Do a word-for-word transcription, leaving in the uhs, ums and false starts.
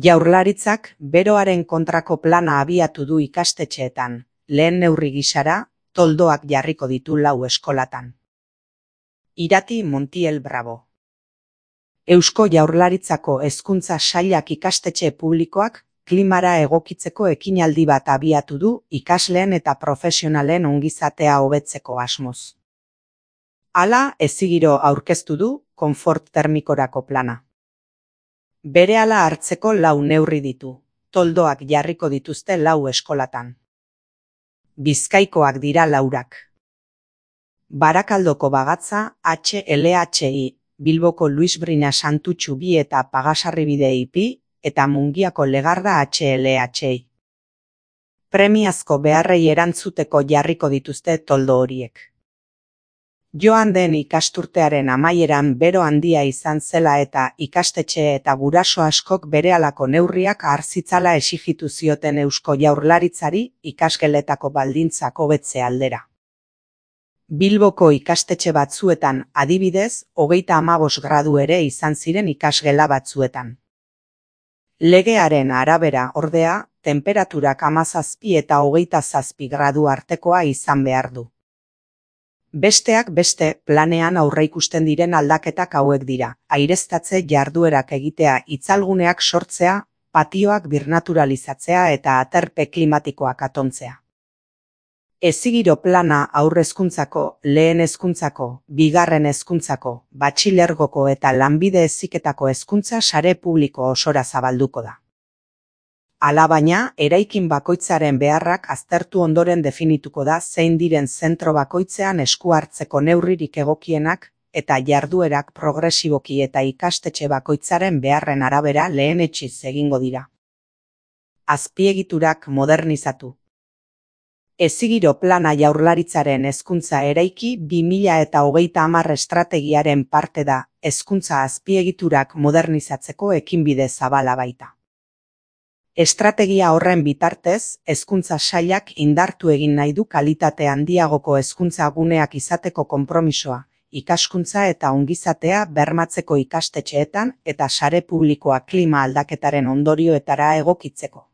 Jaurlaritzak beroaren kontrako plana abiatu du ikastetxeetan, lehen neurri gisara, toldoak jarriko ditu lau eskolatan. Irati Montiel Bravo. Eusko Jaurlaritzako Hezkuntza Sailak ikastetxe publikoak klimara egokitzeko ekinaldi bat abiatu du ikasleen eta profesionalen ongizatea hobetzeko asmoz. Hala, ezigiro aurkeztu du konfort termikorako plana. Berehala hartzeko lau neurri ditu, toldoak jarriko dituzte lau eskolatan. Bizkaikoak dira laurak. Barakaldoko Bagatza H L H I, Bilboko Luis Brina Santutxu bi eta Pagasarribide I P I, eta Mungiako Legarda H L H I. Premiazko beharrei erantzuteko jarriko dituzte toldo horiek. Joan den ikasturtearen amaieran bero handia izan zela eta ikastetxe eta guraso askok berehalako neurriak har zitzala exijitu zioten Eusko Jaurlaritzari ikasgeletako baldintzak hobetze aldera. Bilboko ikastetxe batzuetan, adibidez, hogeita hamabost gradu ere izan ziren ikasgela batzuetan. Legearen arabera, ordea, tenperaturak hamazazpi eta hogeita zazpi gradu artekoa izan behar du. Besteak beste, planean aurreikusten diren aldaketak hauek dira, aireztatze jarduerak egitea, itzalguneak sortzea, patioak birnaturalizatzea eta aterpe klimatikoak atontzea. Ezigiro plana haur hezkuntzako, lehen hezkuntzako, bigarren hezkuntzako, batxilergoko eta lanbide heziketako hezkuntza sare publiko osora zabalduko da. Alabaina, eraikin bakoitzaren beharrak aztertu ondoren definituko da zein diren zentro bakoitzean esku hartzeko neurririk egokienak eta jarduerak progresiboki eta ikastetxe bakoitzaren beharren arabera lehenetsiz egingo dira. Azpiegiturak modernizatu. Ezigiro plana Jaurlaritzaren hezkuntza eraiki bi mila eta hogeita hamar estrategiaren parte da, hezkuntza azpiegiturak modernizatzeko ekinbide zabala baita. Estrategia horren bitartez, hezkuntza sailak indartu egin nahi du kalitate handiagoko hezkuntza guneak izateko konpromisoa, ikaskuntza eta ongizatea bermatzeko ikastetxeetan eta sare publikoa klima aldaketaren ondorioetara egokitzeko.